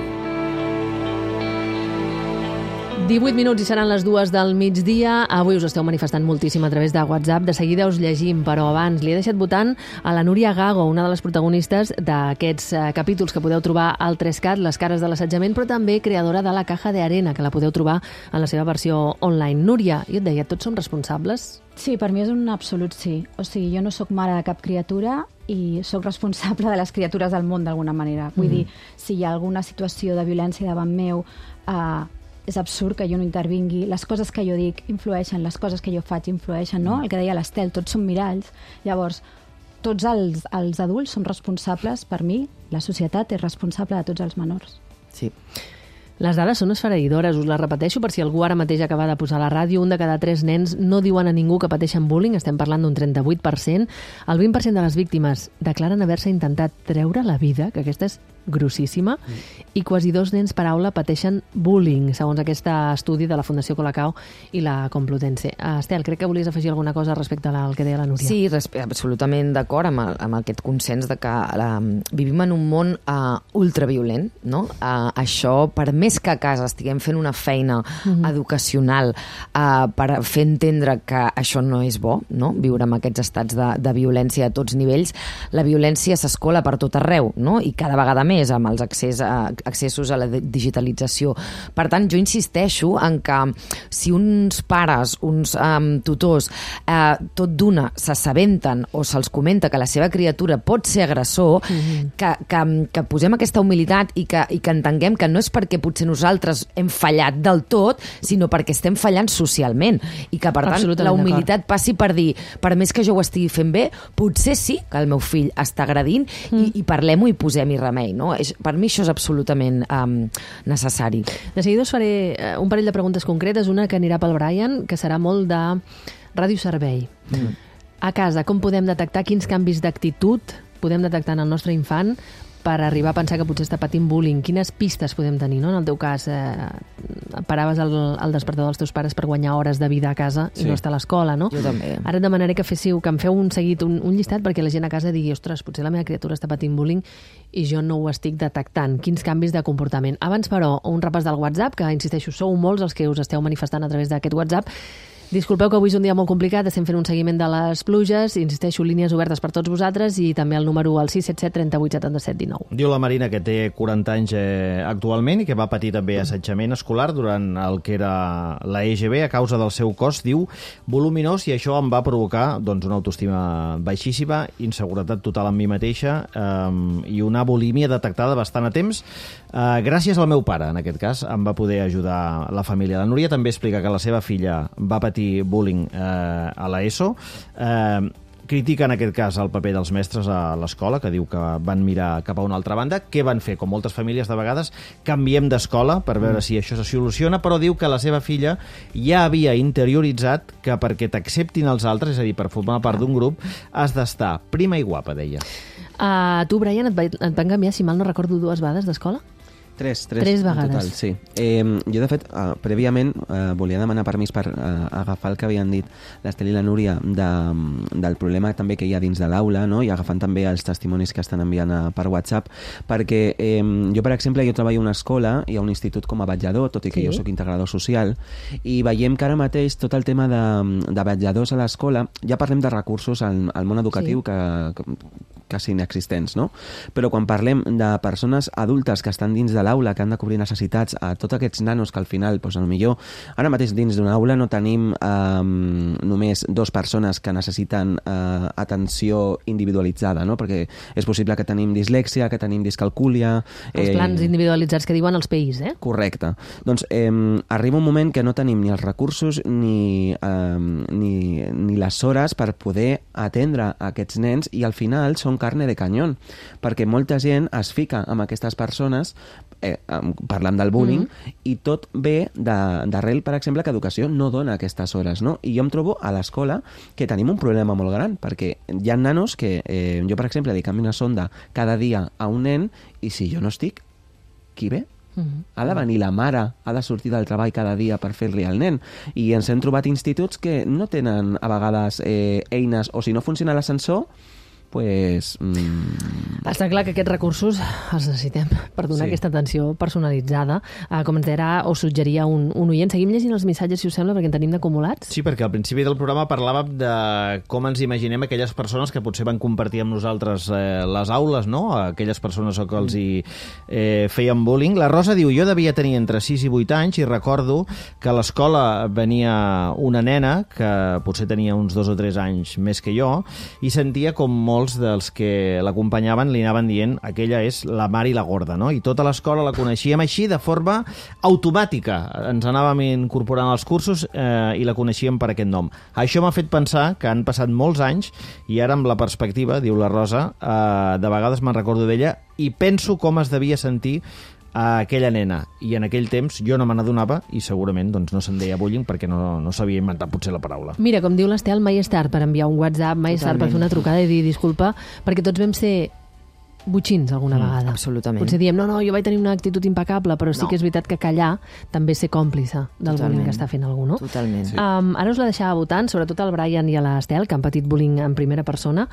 18 minuts i seran les 2 del migdia. Avui us esteu manifestant moltíssim a través de WhatsApp. De seguida us llegim, però abans li he deixat votant a la Núria Gago, una de les protagonistes d'aquests capítols que podeu trobar al 3CAT, les cares de l'assetjament, però també creadora de la Caja de Arena, que la podeu trobar en la seva versió online. Núria, jo et deia, tots som responsables? Sí, per mi és un absolut sí. O sigui, jo no sóc mare de cap criatura i sóc responsable de les criatures del món d'alguna manera. Vull dir, si hi ha alguna situació de violència davant meu, és absurd que jo no intervingui. Les coses que jo dic influeixen, les coses que jo faig influeixen, no? El que deia l'Estel, tots som miralls. Llavors, tots els adults som responsables, per mi, la societat és responsable de tots els menors. Sí. Les dades són esfereïdores, us les repeteixo per si algú ara mateix acaba de posar a la ràdio. 1 de cada 3 nens no diuen a ningú que pateixen bullying, estem parlant d'un 38%. El 20% de les víctimes declaren haver-se intentat treure la vida, que aquesta és grossíssima, i quasi 2 nens per aula pateixen bullying, segons aquest estudi de la Fundació Colacao i la Complutense. Estel, crec que volies afegir alguna cosa respecte al que deia la Núria. Sí, absolutament d'acord amb aquest consens de que vivim en un món ultraviolent, no? Això, per més que a casa estiguem fent una feina educacional per fer entendre que això no és bo, no? Viure amb aquests estats de violència a tots nivells, la violència s'escola per tot arreu, no? I cada vegada més amb els accessos a la digitalització. Per tant, jo insisteixo en que si uns pares, uns tutors, tot d'una s'assabenten o se'ls comenta que la seva criatura pot ser agressor, que posem aquesta humilitat i que entenguem que no és perquè potser nosaltres hem fallat del tot, sinó perquè estem fallant socialment i que, per tant, la humilitat passi per dir, per més que jo ho estigui fent bé, potser sí que el meu fill està agredint i parlem-ho i posem-hi remei, no? Per mi això és absolutament necessari. De seguida us faré un parell de preguntes concretes, una que anirà pel Brian, que serà molt de radioservei. A casa, com podem detectar quins canvis d'actitud podem detectar en el nostre infant per arribar a pensar que potser està patint bullying? Quines pistes podem tenir, no? En el teu cas, paraves el despertador dels teus pares per guanyar hores de vida a casa i no estar a l'escola, no? Jo també. Ara et demanaré que em feu un seguit, un llistat, perquè la gent a casa digui, ostres, potser la meva criatura està patint bullying i jo no ho estic detectant. Quins canvis de comportament? Abans, però, un repàs del WhatsApp, que, insisteixo, sou molts els que us esteu manifestant a través d'aquest WhatsApp. Disculpeu que avui és un dia molt complicat, estem fent un seguiment de les pluges, insisteixo, línies obertes per tots vosaltres i també el número al 677 38 77 19. Diu la Marina que té 40 anys actualment i que va patir també assetjament escolar durant el que era la EGB a causa del seu cos, diu, voluminós, i això em va provocar una autoestima baixíssima, inseguretat total en mi mateixa i una bulímia detectada bastant a temps. Gràcies al meu pare, en aquest cas, em va poder ajudar la família. La Núria també explica que la seva filla va patir bullying a l'ESO. Critica en aquest cas el paper dels mestres a l'escola, que diu que van mirar cap a una altra banda. Què van fer? Com moltes famílies de vegades, canviem d'escola per veure si això se soluciona, però diu que la seva filla ja havia interioritzat que perquè t'acceptin els altres, és a dir, per formar part d'un grup, has d'estar prima i guapa, deia. Tu, Brian, et van canviar, si mal no recordo, 2 vegades d'escola? Tres vegades. En total, sí. Jo, de fet, prèviament volia demanar permís per agafar el que havien dit l'Estel i la Núria del problema també que hi ha dins de l'aula, no? I agafant també els testimonis que estan enviant per WhatsApp, perquè jo, per exemple, treballo a una escola, hi ha un institut com a vetllador, tot i que jo soc integrador social, i veiem que ara mateix tot el tema de vetlladors a l'escola, ja parlem de recursos al món educatiu que quasi inexistents, no? Però quan parlem de persones adultes que estan dins de l'aula, que han de cobrir necessitats a tots aquests nanos que al final, potser ara mateix dins d'una aula no tenim només 2 persones que necessiten atenció individualitzada, no? Perquè és possible que tenim dislèxia, que tenim discalcúlia... Els plans individualitzats que diuen els PIs, eh? Correcte. Doncs arriba un moment que no tenim ni els recursos ni les hores per poder atendre aquests nens i al final són carne de canyón, perquè molta gent es fica amb aquestes persones parlant del bullying i tot ve d'arrel, per exemple, que educació no dona aquestes hores, no? I jo em trobo a l'escola que tenim un problema molt gran, perquè hi ha nanos que jo, per exemple, li canvio una sonda cada dia a un nen i si jo no estic, qui ve? Ha de venir la mare, ha de sortir del treball cada dia per fer-li al nen. I ens hem trobat instituts que no tenen a vegades eines, o si no funciona l'ascensor, pues... Està clar que aquests recursos els necessitem per donar aquesta atenció personalitzada. Com ens deia o suggeria un oient. Seguim llegint els missatges, si us sembla, perquè en tenim d'acumulats. Sí, perquè al principi del programa parlàvem de com ens imaginem aquelles persones que potser van compartir amb nosaltres les aules, no? Aquelles persones que els hi feien bullying. La Rosa diu, jo devia tenir entre 6 i 8 anys i recordo que a l'escola venia una nena que potser tenia uns 2 o 3 anys més que jo i sentia com molts dels que l'acompanyaven li anaven dient aquella és la Mari la Gorda, no? I tota l'escola la coneixíem així de forma automàtica. Ens anàvem incorporant als cursos i la coneixíem per aquest nom. Això m'ha fet pensar que han passat molts anys i ara amb la perspectiva, diu la Rosa, de vegades me'n recordo d'ella i penso com es devia sentir a aquella nena, i en aquell temps jo no me n'adonava i segurament doncs, no se'n deia bullying perquè no s'havia inventat potser la paraula. Mira, com diu l'Estel, mai és tard per enviar un WhatsApp, mai és tard per fer una trucada i dir disculpa, perquè tots vam ser botxins alguna vegada. Absolutament. Potser diem, no, jo vaig tenir una actitud impecable, però sí que és veritat que callar també és ser còmplice del bullying que està fent algú, no? Totalment. Sí. Ara us la deixava votant, sobretot al Brian i a l'Estel, que han patit bullying en primera persona.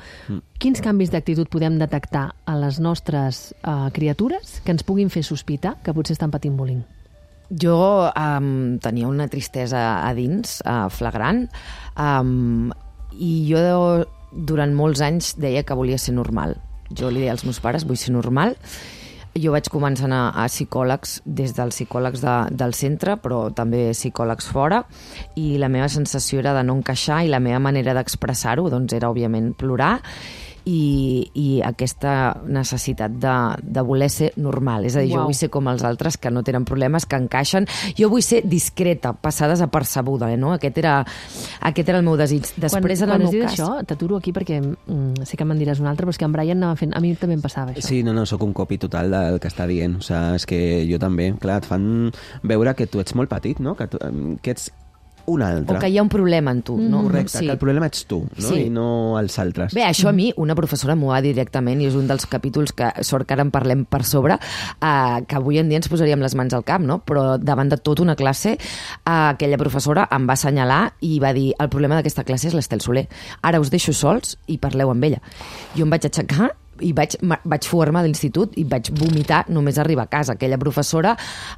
Quins canvis d'actitud podem detectar a les nostres criatures que ens puguin fer sospitar que potser estan patint bullying? Jo tenia una tristesa a dins, flagrant, i jo durant molts anys deia que volia ser normal. Jo li deia als meus pares, vull ser normal. Jo vaig començar a anar a psicòlegs, des dels psicòlegs del centre, però també psicòlegs fora, i la meva sensació era de no encaixar i la meva manera d'expressar-ho doncs, era, òbviament, plorar i aquesta necessitat de voler ser normal. És a dir, jo vull ser com els altres, que no tenen problemes, que encaixen. Jo vull ser discreta, passar desapercebuda, no? Aquest era el meu desig. Després, quan has dit això, t'aturo aquí perquè sé que me'n diràs un altre, però és que en Brian anava fent... A mi també em passava això. Sí, no, sóc un copy total del que està dient. O sigui, és que jo també, clar, et fan veure que tu ets molt petit, no? Que ets un altre. O que hi ha un problema en tu, no? Correcte, que el problema ets tu, no? Sí. I no els altres. Bé, això a mi, una professora m'ho va dir directament, i és un dels capítols que sort que ara en parlem per sobre, que avui en dia ens posaríem les mans al cap, no? Però davant de tota una classe, aquella professora em va assenyalar i va dir, el problema d'aquesta classe és l'Estel Soler. Ara us deixo sols i parleu amb ella. Jo em vaig aixecar i vaig fugar-me de l'institut i vaig vomitar només arribar a casa. Aquella professora,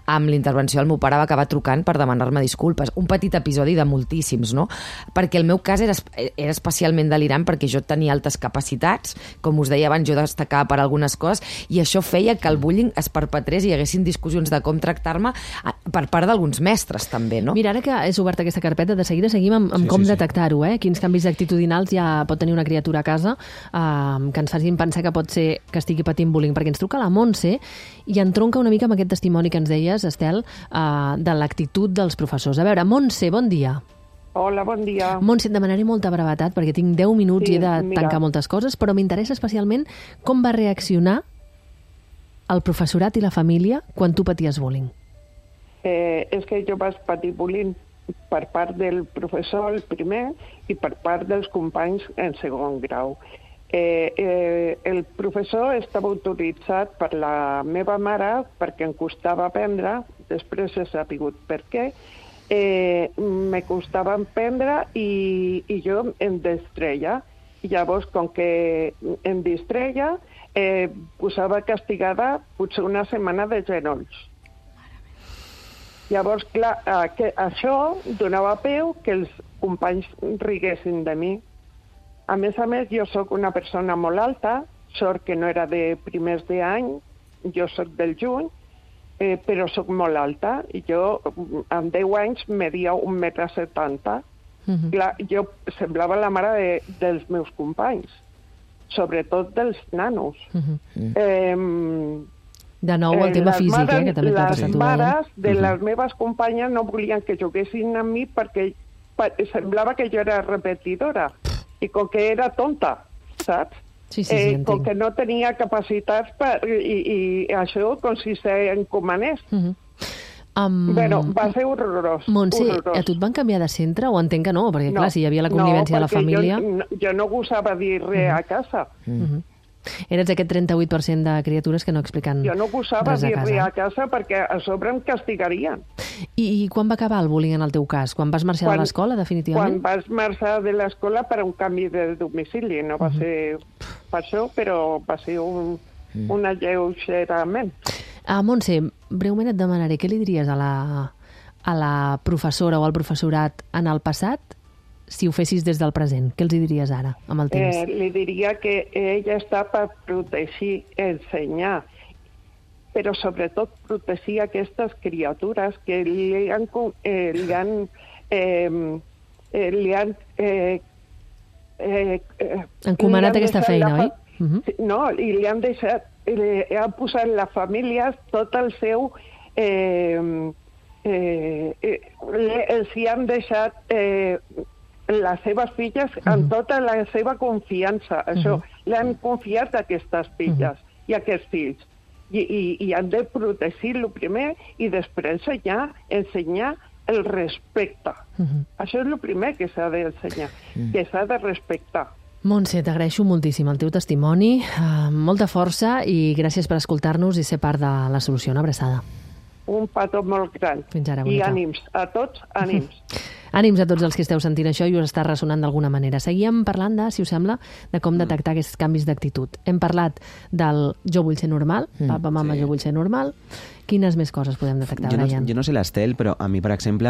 amb l'intervenció del meu pare, va acabar trucant per demanar-me disculpes. Un petit episodi de moltíssims, no? Perquè el meu cas era especialment delirant perquè jo tenia altes capacitats, com us deia abans, jo destacava per algunes coses, i això feia que el bullying es perpetrés i hi haguessin discussions de com tractar-me per part d'alguns mestres, també, no? Mira, ara que és oberta aquesta carpeta, de seguida seguim amb com detectar-ho, Quins canvis actitudinals ja pot tenir una criatura a casa que ens facin pensar que pot ser que estigui patint bullying, perquè ens truca la Montse i entronca una mica amb aquest testimoni que ens deies, Estel, de l'actitud dels professors. A veure, Montse, bon dia. Hola, bon dia. Montse, et demanaré molta brevetat perquè tinc 10 minuts i he de tancar moltes coses, però m'interessa especialment com va reaccionar el professorat i la família quan tu paties bullying. És que jo vaig patir bullying per part del professor, el primer, i per part dels companys en segon grau. El professor estava autoritzat per la meva mare perquè em costava aprendre, després he sabut per què, me costava aprendre i jo em distreia. Llavors, com que em distreia, posava castigada potser una setmana de genolls. Llavors, clar, això donava peu que els companys riguessin de mi. A més, jo sóc una persona molt alta, sort que no era de primers d'any, jo sóc del juny, però sóc molt alta, i jo amb 10 anys media 1,70 m. Clar, jo semblava la mare dels meus companys, sobretot dels nanos. De nou, el tema físic, que també t'ha passat. Les mares de les meves companyes no volien que juguessin amb mi perquè semblava que jo era repetidora. I com que era tonta, saps? Sí, com que no tenia capacitats i això com si s'encomanés. Bueno, va ser horrorós. Montse, a tu et van canviar de centre o entenc que no? Perquè clar, si hi havia la convivència de la família... Jo no gosava dir res a casa. Eres aquest 38% de criatures que no expliquen res a casa. Jo no gosava dir res a casa perquè a sobre em castigarien. I quan va acabar el bullying en el teu cas? Quan vas marxar de l'escola, definitivament? Quan vas marxar de l'escola per un canvi de domicili, no va ser... per això, però va ser un alleugerament. Montse, breument et demanaré, què li diries a la professora o al professorat en el passat si ho fessis des del present? Què els diries ara, amb el temps? Li diria que ella està per protegir, ensenyar, però sobretot protegir aquestes criatures que li han encomanat aquesta feina, oi? No, i li han deixat, han posat les famílies tot el seu... els hi han deixat les seves filles amb tota la seva confiança. Això, li han confiat a aquestes filles i a aquests fills. I han de protegir-lo primer i després ensenyar el respecte. Això és el primer que s'ha d'ensenyar, que s'ha de respectar. Montse, t'agraeixo moltíssim el teu testimoni, molta força i gràcies per escoltar-nos i ser part de la solució. Una abraçada. Un petó molt gran. Fins ara, I bonica. ànims, a tots, ànims. Ànims a tots els que esteu sentint això i us està ressonant d'alguna manera. Seguíem parlant de, si us sembla, de com detectar aquests canvis d'actitud. Hem parlat del jo vull ser normal, papa, mama, jo vull ser normal. Quines més coses podem detectar, Brian? Jo no sé l'Estel, però a mi, per exemple,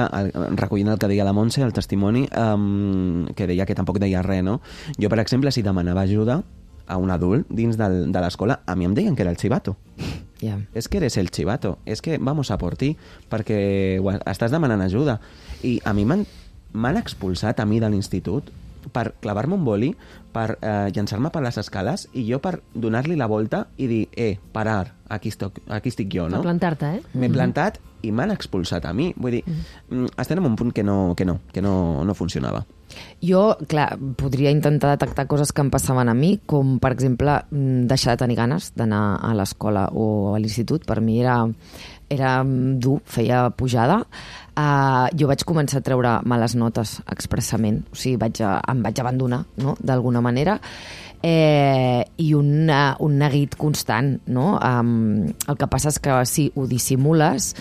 recollint el que deia la Montse, el testimoni, que deia que tampoc deia res, no? Jo, per exemple, si demanava ajuda a un adult dins de l'escola, a mi em deien que era el chivato. Yeah. És que eres el chivato, és que vamos a por ti, perquè estàs demanant ajuda. I a mi m'han expulsat a mi de l'institut per clavar-me un boli, per llançar-me per les escales i jo per donar-li la volta i dir, parar, aquí estic jo, no? Per plantar-te, M'he plantat i m'han expulsat a mi. Vull dir, estem en un punt que no funcionava. Jo, clar, podria intentar detectar coses que em passaven a mi, com, per exemple, deixar de tenir ganes d'anar a l'escola o a l'institut. Per mi era dur, feia pujada. Jo vaig començar a treure males notes expressament, o sigui, em vaig abandonar, no?, d'alguna manera, i un neguit constant, no? El que passa és que sí, ho dissimules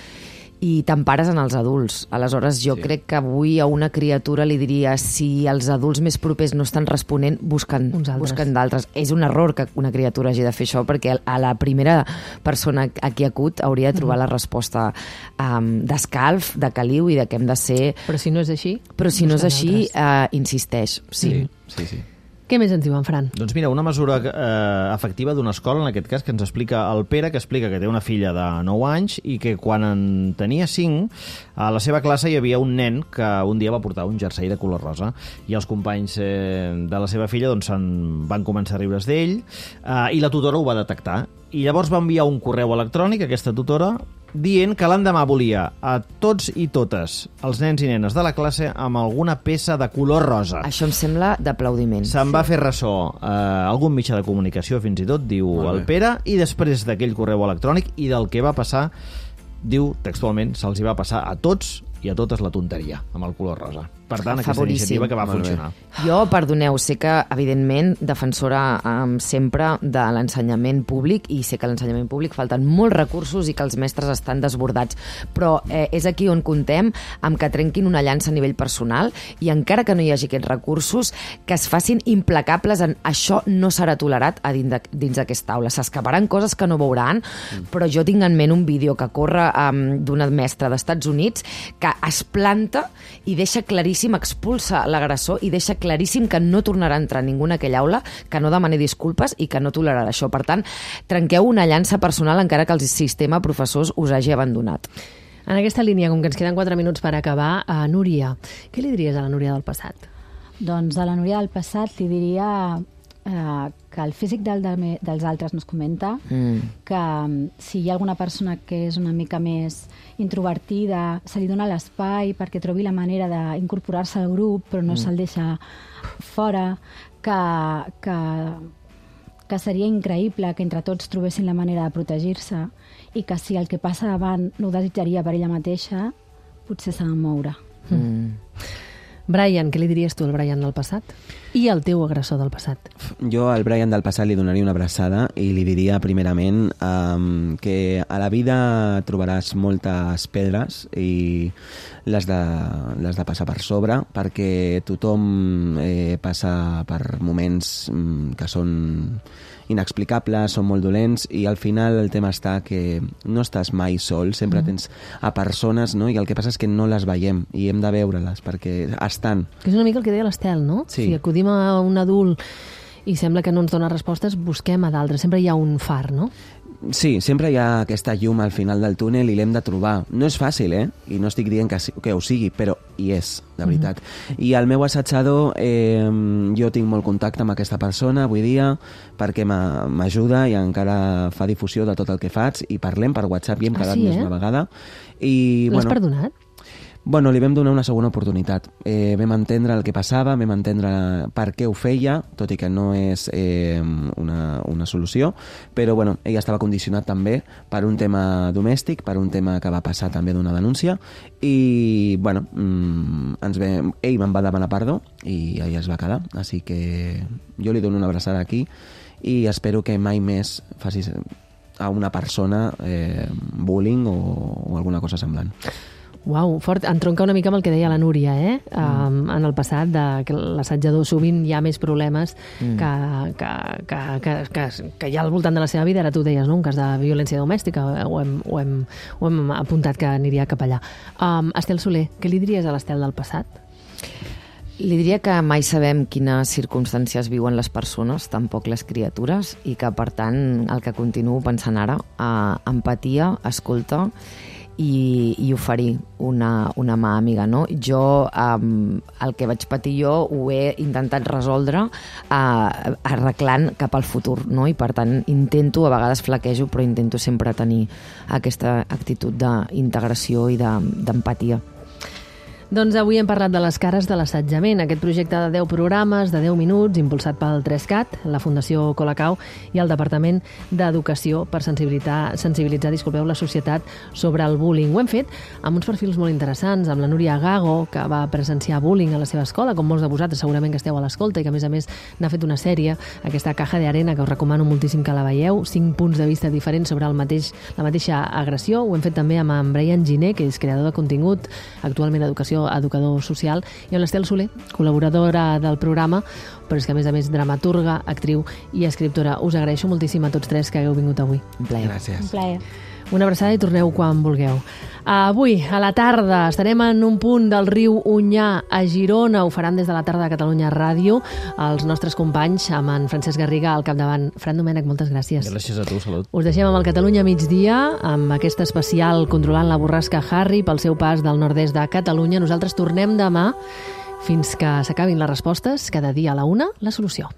i t'empares en els adults. Aleshores, jo crec que avui a una criatura li diria, si els adults més propers no estan responent, busquen d'altres. És un error que una criatura hagi de fer això, perquè a la primera persona a qui acut hauria de trobar la resposta d'escalf, de caliu i de què hem de ser... Però si no és així... Però si no és així, insisteix. Sí. Què més ens diuen, Fran? Doncs mira, una mesura efectiva d'una escola, en aquest cas, que ens explica el Pere, que explica que té una filla de 9 anys i que quan en tenia 5, a la seva classe hi havia un nen que un dia va portar un jersei de color rosa i els companys de la seva filla doncs, van començar a riure's d'ell i la tutora ho va detectar. I llavors va enviar un correu electrònic a aquesta tutora dient que l'endemà volia a tots i totes els nens i nenes de la classe amb alguna peça de color rosa. Això em sembla d'aplaudiment. Se'n va fer ressò algun mitjà de comunicació, fins i tot, diu el Pere, i després d'aquell correu electrònic i del que va passar, diu textualment, se'ls hi va passar a tots i a totes la tonteria amb el color rosa. Per tant, aquesta iniciativa que va funcionar. Jo, perdoneu, sé que, evidentment, defensora sempre de l'ensenyament públic, i sé que a l'ensenyament públic falten molts recursos i que els mestres estan desbordats, però és aquí on comptem amb que trenquin una llança a nivell personal i encara que no hi hagi aquests recursos, que es facin implacables en això no serà tolerat dins d'aquesta aula. S'escaparan coses que no veuran, però jo tinc en ment un vídeo que corre d'una mestra d'Estats Units que es planta i deixa claríssim, expulsa l'agressor i deixa claríssim que no tornarà a entrar ningú en aquella aula, que no demani disculpes i que no tolerarà això. Per tant, trenqueu una llança personal encara que el sistema professors us hagi abandonat. En aquesta línia, com que ens queden 4 minuts per acabar, Núria, què li diries a la Núria del passat? Doncs a la Núria del passat li diria que el físic dels altres no es comenta, que si hi ha alguna persona que és una mica més introvertida, se li dona l'espai perquè trobi la manera d'incorporar-se al grup, però no se'l deixa fora, que seria increïble que entre tots trobessin la manera de protegir-se i que si el que passa davant no ho desitjaria per ella mateixa, potser s'ha de moure. Brian, què li diries tu al Brian del passat? I el teu agressor del passat? Jo al Brian del passat li donaria una abraçada i li diria primerament que a la vida trobaràs moltes pedres i les de passar per sobre, perquè tothom passa per moments que són inexplicables, són molt dolents, i al final el tema està que no estàs mai sol, sempre tens a persones, no? I el que passa és que no les veiem i hem de veure-les perquè estan. Que és una mica el que deia l'Estel, no? Sí. Si acudim a un adult i sembla que no ens dona respostes, busquem a d'altres. Sempre hi ha un far, no? Sí, sempre hi ha aquesta llum al final del túnel i l'hem de trobar. No és fàcil, I no estic dient que ho sigui, però hi és, de veritat. I el meu assajador, jo tinc molt contacte amb aquesta persona avui dia perquè m'ajuda i encara fa difusió de tot el que faig i parlem per WhatsApp i hem quedat més una vegada. L'has perdonat? Bueno, li vam donar una segona oportunitat. Vam entendre el que passava, vam entendre per què ho feia, tot i que no és una solució, però bueno, ell estava condicionat també per un tema domèstic, per un tema que va passar també d'una denúncia, i bueno, ell me'n va demanar perdó i allà es va quedar, així que jo li dono una abraçada aquí i espero que mai més facis a una persona bullying o alguna cosa semblant. Uau, fort. Entronca una mica amb el que deia la Núria, en el passat, que l'assajador sovint hi ha més problemes que hi ha al voltant de la seva vida. Ara tu deies, no?, un cas de violència domèstica, ho hem apuntat que aniria cap allà. Estel Soler, què li diries a l'Estel del passat? Li diria que mai sabem quines circumstàncies viuen les persones, tampoc les criatures, i que, per tant, el que continuo pensant ara, empatia, escolta i oferir una mà amiga, no? Jo, el que vaig patir jo ho he intentat resoldre arreglant cap al futur, no? I per tant intento, a vegades flaquejo, però intento sempre tenir aquesta actitud d'integració i d'empatia. Doncs avui hem parlat de les cares de l'assetjament, aquest projecte de 10 programes, de 10 minuts, impulsat pel 3CAT, la Fundació Colacao i el Departament d'Educació per sensibilitzar la societat sobre el bullying. Ho hem fet amb uns perfils molt interessants, amb la Núria Gago, que va presenciar bullying a la seva escola, com molts de vosaltres segurament que esteu a l'escolta, i que a més n'ha fet una sèrie, aquesta Caja de Arena, que us recomano moltíssim que la veieu, 5 punts de vista diferents sobre la mateixa agressió. Ho hem fet també amb en Brian Giner, que és creador de contingut, actualment educador social, i amb l'Estel Soler, col·laboradora del programa, però és que a més dramaturga, actriu i escriptora. Us agraeixo moltíssim a tots tres que hagueu vingut avui. Un plaer. Gràcies. Un plaer. Una abraçada i torneu quan vulgueu. Avui, a la tarda, estarem en un punt del riu Onyar, a Girona. Ho faran des de la tarda de Catalunya Ràdio els nostres companys, amb en Francesc Garriga al capdavant. Fran Domènech, moltes gràcies. Gràcies a tu, salut. Us deixem amb el Catalunya migdia, amb aquest especial controlant la borrasca Harry pel seu pas del nord-est de Catalunya. Nosaltres tornem demà fins que s'acabin les respostes. Cada dia a la 1, la solució.